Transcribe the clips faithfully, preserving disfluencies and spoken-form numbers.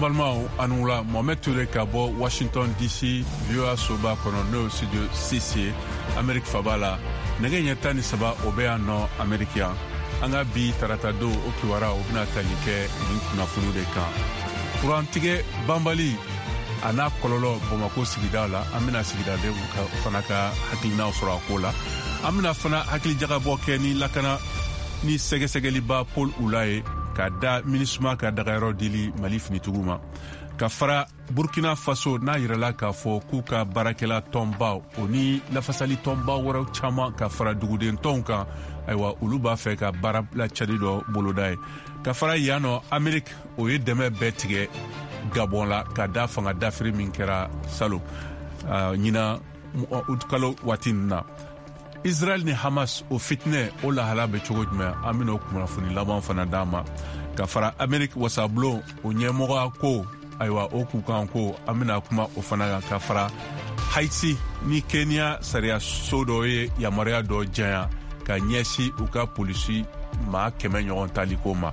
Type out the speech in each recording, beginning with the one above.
An balimaw, a ni wula. Mohamed Ture ka bɔ Washington D C, V O A soba kɔnɔ, n'o ye studio six ye, Amerique faba la. Nɛgɛ ɲɛ tan ni saba o bɛ yan nɔ Amerique yan. An ka bi tarata don o kibaruya, o bɛna tali kɛ nin kunnafoniw de kan: kurantigɛ banbali a n'a kɔlɔlɔ Bamako sigida la. An bɛna sigidadenw fana ka hakilinaw sɔrɔ a ko la. An bɛna fana hakilijagabɔ kɛ ni lakana ni sɛgɛsɛgɛliba Paul Ula ye, ka da MINUSMA ka dagayɔrɔ dili Mali finitigiw ma. Ka fara Burkina Faso, n'a yirala k'a fɔ k'u ka baarakɛla tɔnba o ni lafasali tɔnba wɛrɛw caman, ka fara duguden tɔnw kan, ayiwa, olu b'a fɛ ka baara lacɛli dɔ boloda ye. Ka fara yan nɔ, Amerik o ye dɛmɛ bɛɛ tigɛ Gabɔn la, ka da fanga dafiri min kɛra salo ɲina kalo waati nin na. Israel ni Hamas o fitinɛ, o lahala bɛ cogo jumɛn? An bɛna o kunnafoni laban fana d'an ma. Ka fara Amerik wasabulon o ɲɛmɔgɔya ko, ayiwa, o k'u kan ko an bɛna kuma o fana kan. Ka fara Haiti ni Kenya sariya so dɔ ye yamaruya dɔ janya ka ɲɛsin u ka polisi maa kɛmɛ ɲɔgɔn taliko ma.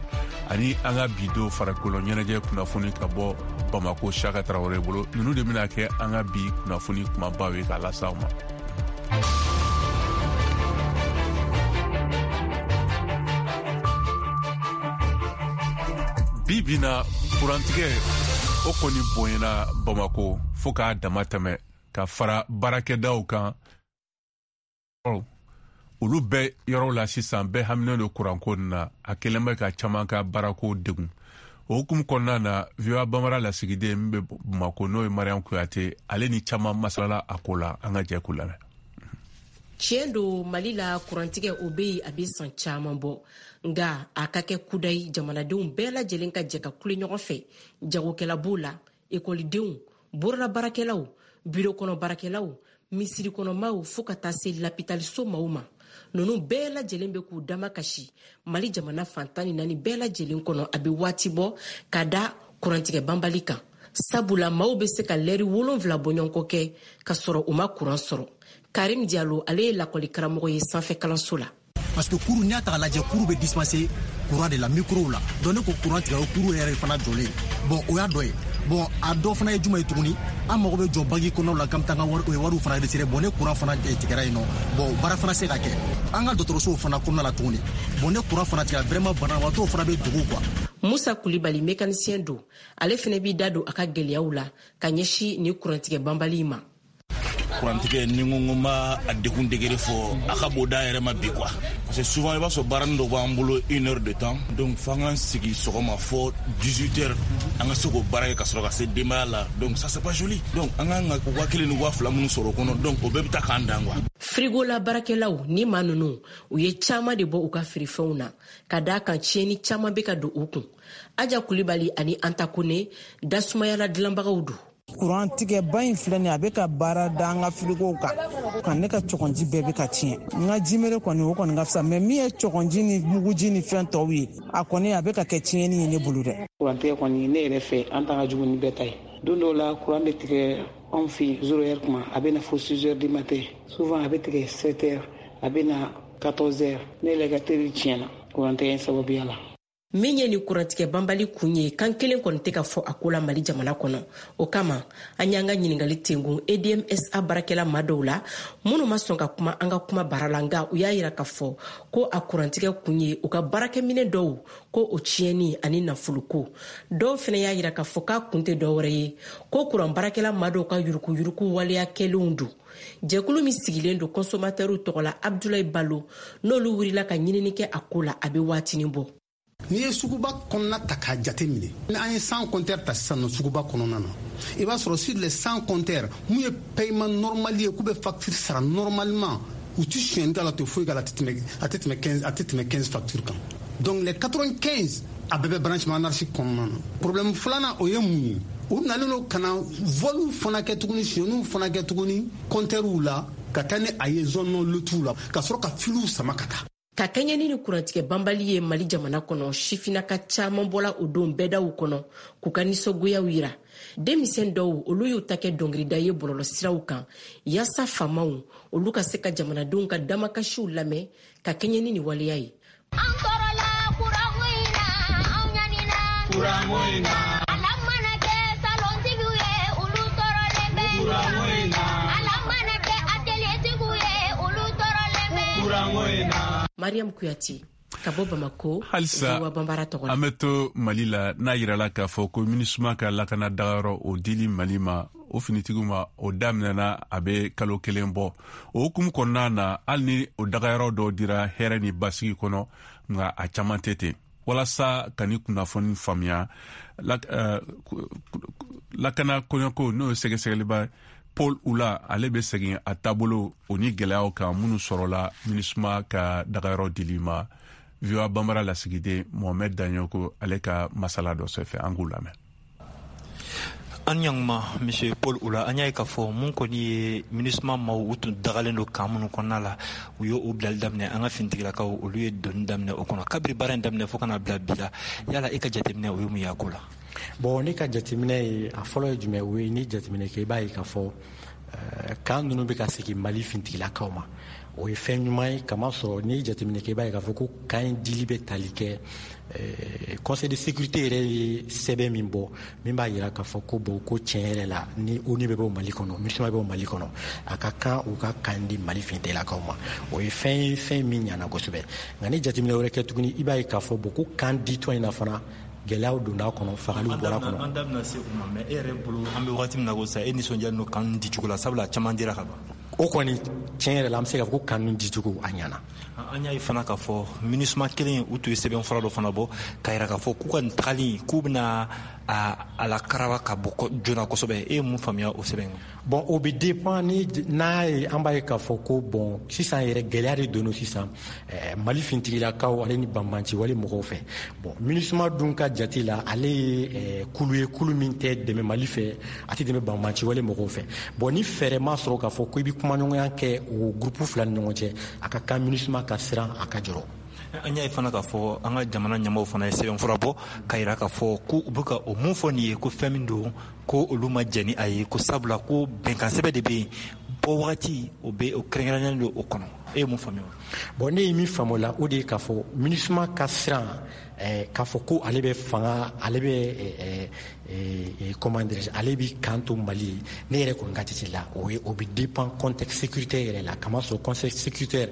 Ani an ka bi don farikolo ɲɛnajɛ kunnafoni ka bɔ Bamako, Saka Tarawele bolo. Ninnu de bɛna kɛ an ka bi kunnafoni kumabaw ye k'a las'aw ma. Bi bi na, kurantigɛ o kɔni bonyana Bamako fo k'a dama tɛmɛ. Ka fara baarakɛdaw kan, olu bɛɛ yɔrɔ la sisan, bɛɛ haminen don kuranko nin na. A kɛlen bɛ ka caman ka baarako degun. O hukumu kɔnɔna na, V O A Bamara lasigiden min bɛ Bamako, n'o ye Mariam Kuyate, ale ni caman masalala a ko la. An ka jɛ k'u lamɛn. Tiɲɛ don, Mali la, kurantigɛ o bɛ yen, a bɛ san caman bɔ. Nga a ka kɛ kudayi, jamanadenw bɛɛ lajɛlen ka jɛ ka kule ɲɔgɔn fɛ. Jagokɛla b'o la, ekɔlidenw, bololabaarakɛlaw, biro kɔnɔ baarakɛlaw, misiri kɔnɔmaw, fo ka taa se lapitaliso maw ma. Ninnu bɛɛ lajɛlen bɛ k'u dama kasi Mali jamana fantan ni naani bɛɛ lajɛlen kɔnɔ. A bɛ waati bɔ ka da kurantigɛ banbali kan, sabula maaw bɛ se ka lɛri wolonfila bɔɲɔgɔnkɔ kɛ ka sɔrɔ u ma kuran sɔrɔ. Karim Diallo, ale ye lakɔli karamɔgɔ ye sanfɛ kalanso la. Parce que cours, n'i y'a ta k'a lajɛ, cours bɛ dispenser courant de la, micro la. Donc ne ko courant tigɛ, o cours yɛrɛ fana jɔlen. Bon, o y'a dɔ ye. Bon, a dɔ fana ye jumɛn ye tuguni? An mago bɛ jɔ banki kɔnɔw la k'an bɛ taa an ka wari wariw fana retirer. Bon, ne courant fana tigɛra yen nɔ, bon, baara fana se ka kɛ an ka dɔgɔtɔrɔsow fana kɔnɔna la tuguni. Bon, ne courant fana tigɛra, vraiment banabaatɔw fana bɛ dugu quoi. Musa Kulibali, mécanicien don, ale fana b'i da don a ka gwɛlɛyaw la ka ɲɛsin ni kurantigɛ banbali ma. Kurantigɛ ni ko n ko n b'a a degun degré fɔ, a ka bon da yɛrɛ ma bi quoi, parce que souvent i b'a sɔrɔ baaranin dɔ b'an bolo une heure de temps, donc f'an k'an sigi sɔgɔma fɔ dix-huit heures, an ka se k'o baara kɛ ka sɔrɔ ka se denbaya la. Donc ça, c'est pas joli. Donc an kan ka waa kelen ni waa fila minnu sɔrɔ o kɔnɔ, donc o bɛɛ bɛ taa k'an dan quoi. Frigo la baarakɛlaw ni maa ninnu, u ye caaman de bɔ u ka feerefɛnw na, ka daa kan tiɲɛni caaman bɛ ka don u kun. Aja Kulibali ani Anta Kone, dasumayala dilanbagaw don. Kuran tigɛba in filɛ nin, a bɛ ka baara da an ka firigow kan ka ne ka cɔgɔnji bɛɛ bɛ ka tiɲɛ. N ka jimere kɔni, o kɔni ka fisa, mɛ min ye cɔgɔnji ni muguji ni fɛn tɔw ye, a kɔni a bɛ ka kɛ tiɲɛni ye ne bolo dɛ. Kurantigɛ kɔni, ne yɛrɛ fɛ, an ta ka jugu ni bɛɛ ta ye. Don dɔw la, kuran bɛ tigɛ anw fɛ yen zéro heure kuma, a bɛ na fo six heures du matin. Souvent a bɛ tigɛ sept heures, a bɛ na quatorze heures. Ne yɛrɛ ka teri tiɲɛna kurantigɛ in sababuya la. Min ye nin kurantigɛ banbali kun ye, kan kelen kɔni tɛ ka fɔ a ko la Mali jamana kɔnɔ. O kama, an y'an ka ɲiningali tengun E D M S A baarakɛla ma dɔw la, minnu ma sɔn ka kuma an ka kuma baara la. Nga u y'a yira k'a fɔ ko a kurantigɛ kun ye u ka baarakɛminɛ dɔw ko o tiɲɛni ani nafoloko. Dɔw fɛnɛ y'a yira k'a fɔ k'a kun tɛ dɔwɛrɛ ye, ko kuran baarakɛla ma dɔw ka yurukuyuruku waleya kɛlenw don. Jɛkulu min sigilen don consommateurs tɔgɔ la, Abdulayi Balo, n'olu wulila ka ɲinini kɛ a ko la, a bɛ waatinin bɔ. N'i ye suguba kɔnɔna ta k'a jate minɛ, ni an ye cent compteurs ta sisan nɔ suguba kɔnɔna na, i b'a sɔrɔ sur les cent compteurs, mun ye paiement normal ye, k'u bɛ facture sara normalement, u ti sonyɛni k'a la, tɛ foyi k'a la, a tɛ tɛmɛ a tɛ tɛmɛ quinze, a tɛ tɛmɛ quinze facture kan. Donc les quatre-vingt-quinze, a bɛɛ bɛ branchement anarchique kɔnɔna na. Problème filanan, o ye mun ye? U nalen don ka na volw fana kɛ tuguni, sonyɛniw fana kɛ tuguni compteurw la, ka taa ni a ye zone non lotiw la, ka sɔrɔ ka filiw sama ka taa. Ka kɛɲɛ ni ni kurantigɛ banbali ye Mali jamana kɔnɔ, sifinaka caaman bɔla o don bɛɛdaw kɔnɔ k'u ka nisɔngoyaw yira. Denmisɛn dɔw, olu y'u ta kɛ dɔngirida ye bɔlɔlɔsiraw kan, yaasa faamaw olu ka se ka jamanadenw ka damakasiw lamɛn ka kɛɲɛ ni nin waleya ye. An tɔɔrɔla kuranko in na, anw ɲanina kuranko in na. Ala mana kɛ. Mariam Kuyate ka bɔ Bamako. Halisa an bɛ to Mali la, n'a yirala k'a fɔ ko MINUSMA ka lakana dagayɔrɔ o dili Mali ma, o finitigiw ma, o daminɛna a bɛ kalo kelen bɔ. O hukumu kɔnɔna na, hali ni o dagayɔrɔ dɔw dira hɛrɛ ni basigi kɔnɔ, nka a caman tɛ ten. Walasa ka ni kunnafoni faamuya, lakana kɔɲɔko n'o ye sɛgɛsɛgɛliba Paul Oula, ale bɛ segin a taabolo o ni gɛlɛyaw kan minnu sɔrɔla MINUSMA ka dagayɔrɔ dili ma. V O A Bambara lasigiden Mohamed Danyoko ale ka masala dɔ sɛfɛ, an k'u lamɛn. An ɲanguma Monsieur Paul Oula, an y'a ye k'a fɔ mun kɔni ye MINUSMA maaw u tun dagalen don kan minnu kɔnɔna la, u ye o bilali daminɛ. An ka finitigilakaw olu ye donni daminɛ o kɔnɔ kabiri baara in daminɛ fo ka na bila bi la. Yala e ka jateminɛ o ye mun ye a ko la? Bon, ne ka jateminɛ ye a fɔlɔ ye jumɛn o ye, ni jateminɛ kɛ i b'a ye k'a fɔ kan ninnu bɛ ka segin Mali finitigilakaw ma, o ye fɛn ɲuman ye. Kamasɔrɔ n'i ye jateminɛ kɛ i b'a ye k'a fɔ ko kan in dili bɛ tali kɛ Conseil de sécurité yɛrɛ ye sɛbɛn min bɔ min b'a jira k'a fɔ ko bon ko tiɲɛ yɛrɛ la ni ONU bɛ bɔ Mali kɔnɔ, MINUSMA bɛ bɔ Mali kɔnɔ, a ka kan u ka kan di Mali finitigilakaw ma. O ye fɛn ye fɛn min ɲana kosɛbɛ. Nka ni jateminɛ wɛrɛ kɛ tuguni, i b'a ye k'a fɔ bon ko kan ditɔ in na fana gɛlɛyaw donna a kɔnɔ, fagaliw bɔra a kɔnɔ. An da bɛna se o ma, mais e yɛrɛ bolo an bɛ wagati min na ko sisan, e nisɔndiyalen don kan dicogo la, sabula a caman dira ka ban? O kɔni tiɲɛ yɛrɛ la an bɛ se k'a fɔ ko kan dicogo a ɲana. An y'a ye fana k'a fɔ MINUSMA kelen u tun ye sɛbɛn fura dɔ fana bɔ k'a jira k'a fɔ k'u ka nin tagali k'u bɛna a, a la karaba ka bɔ joona kosɛbɛ. E ye mun faamuya o sɛbɛn kɔnɔ? Bon, o bɛ dépend ni n'a ye, an b'a ye k'a fɔ ko bon sisan yɛrɛ gɛlɛya de donna sisan eh, Mali finitigilakaw ale ni banbanci wale mɔgɔw fɛ. Bon, MINUSMA dun ka jate la, ale ye eh, kulu ye, kulu min tɛ dɛmɛ Mali fɛ, a tɛ dɛmɛ banbanci wale mɔgɔw fɛ. Bon, ni fɛɛrɛ ma sɔrɔ k'a fɔ ko i bɛ kumaɲɔgɔnya kɛ o groupe fila ni ɲɔgɔn cɛ, a ka kan MINUSMA ka siran, a ka jɔrɔ. An y'a ye fana k'a fɔ an ka jamana ɲɛmaaw fana ye sɛbɛnfura bɔ k'a jira k'a fɔ ko u bɛ ka o mun fɔ nin ye, ko fɛn min don ko olu ma jɛn ni a ye, ko sabula ko bɛnkan sɛbɛn de bɛ yen, bɔ wagati o bɛ o kɛrɛnkɛrɛnnen don o kɔnɔ. E ye mun faamuya? Bon, ne ye min faamu o la, o de ye k'a fɔ MINUSMA ka siran eh, k'a fɔ ko ale bɛ fanga, ale bɛ eh, eh, comment dirais-je, ale bɛ kan to Mali ye. Ne yɛrɛ kɔni ka jate la, o ye o bɛ dépend contexte sécuritaire yɛrɛ la. Kamasɔrɔ contexte sécuritaire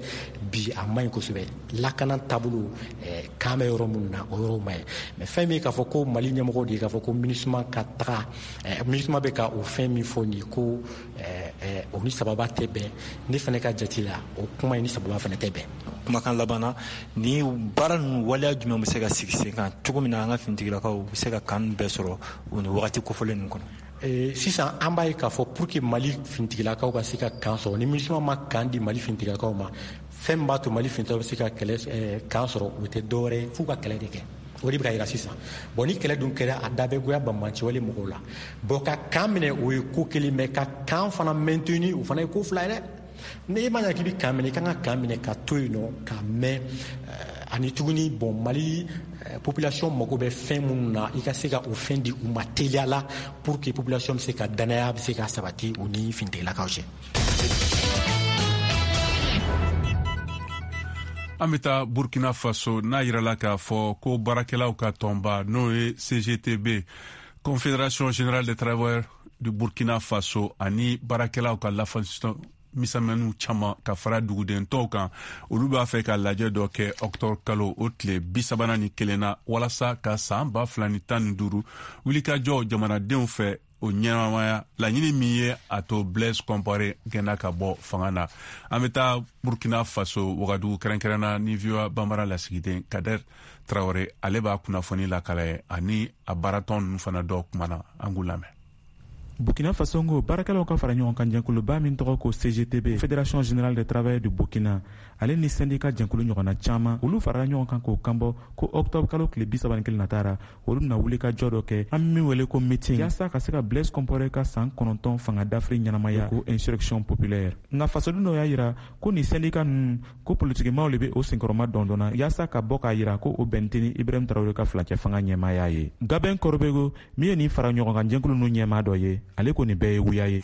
bi a man ɲi kosɛbɛ, lakana taabolo eh, kan bɛ yɔrɔ minnu na, o yɔrɔ man ɲi. Mais fɛn min ye k'a fɔ ko Mali ɲɛmɔgɔw de ye k'a fɔ ko MINUSMA ka taga eh, MINUSMA bɛ ka o fɛn min fɔ nin ye ko eh, eh, o ni sababa tɛ bɛn, ne fana ka jate la o kuma in ni sababa fana tɛ bɛn. Kumakan laban na, ni baara ninnu waleya jumɛn bɛ se ka sigi sen kan cogo min na an ka finitigilakaw bɛ se ka kan bɛɛ sɔrɔ o ni wagati kofɔlen ninnu kɔnɔ? Sisan an b'a ye k'a fɔ pour que Mali finitigilakaw ka se ka kan sɔrɔ, ni MINUSMA ma kan di Mali finitigilakaw ma, fɛn min b'a to Mali finitigilakaw bɛ se ka kɛlɛ kan sɔrɔ, o tɛ dɔwɛrɛ ye f'u ka kɛlɛ de kɛ. O de bɛ ka yira sisan. Bon, ni kɛlɛ dun kɛra, a da bɛ goya banbanci wale mɔgɔw la. Bon, ka kan minɛ o ye ko kelen, mais ka kan fana maintenir o fana ye ko fila ye dɛ. Ni e ma ɲa k'i bɛ kan minɛ, i kan ka kan minɛ ka to yen nɔ ka mɛn. Ani tuguni, bon, Mali population mago bɛ fɛn minnu na, i ka se ka o fɛn di u ma teliya la pour que population bɛ se ka danaya bɛ se ka sabati u ni finitigilakaw cɛ. An bɛ taa Burkina Faso, n'a yirala k'a fɔ ko baarakɛlaw ka tɔnba n'o ye C G T B, Confédération Générale des Travailleurs du Burkina Faso, ani baarakɛlaw ka lafasɔn misɛnmaninw caman ka fara duguden tɔw kan, olu b'a fɛ ka lajɛ dɔ kɛ octobre kalo o tile bi sabanan ni kelen na, walasa ka san ba fila ni tan ni duuru wulikajɔ jamanadenw fɛ o ɲɛnamaya laɲini min ye a to Blaise Compaoré gɛnna ka bɔ fanga na. An bɛ taa Burkina Faso Wagadugu kɛrɛnkɛrɛnna ni V O A Bambara lasigiden Kader Traoré, ale b'a kunnafoni lakala ye, ani a baaratɔn ninnu fana dɔw kumana, an k'u lamɛn. Burkina Faso ngo baarakɛlaw ka fara ɲɔgɔn kan jɛnkuluba min tɔgɔ ko C G T B, Fédération Générale des Travailleurs du Burkina, ale ni syndicat jɛnkulu ɲɔgɔnna caman, olu farala ɲɔgɔn kan k'o kanbɔ ko octobre kalo tile bi saba ni kelen natara, olu bɛna wuli ka jɔ dɔ kɛ, an min wele ko meeting, yaasa ka se ka Blaise Compaoré ka san kɔnɔntɔn fanga dafiri ɲɛnamaya ko insurrection populaire. Nka fasoden dɔw y'a yira ko nin syndicat ninnu ko politikimaw de bɛ o senkɔrɔma dɔndɔnna yaasa ka bɔ k'a yira ko o bɛn tɛ ni Ibrahim Traoré ka furancɛ fanga ɲɛmaaya ye. Gabin Korobego min ye nin fara ɲɔgɔn kan jɛnkulu ninnu ɲɛmaa dɔ ye, ale ko nin bɛɛ ye wuya ye.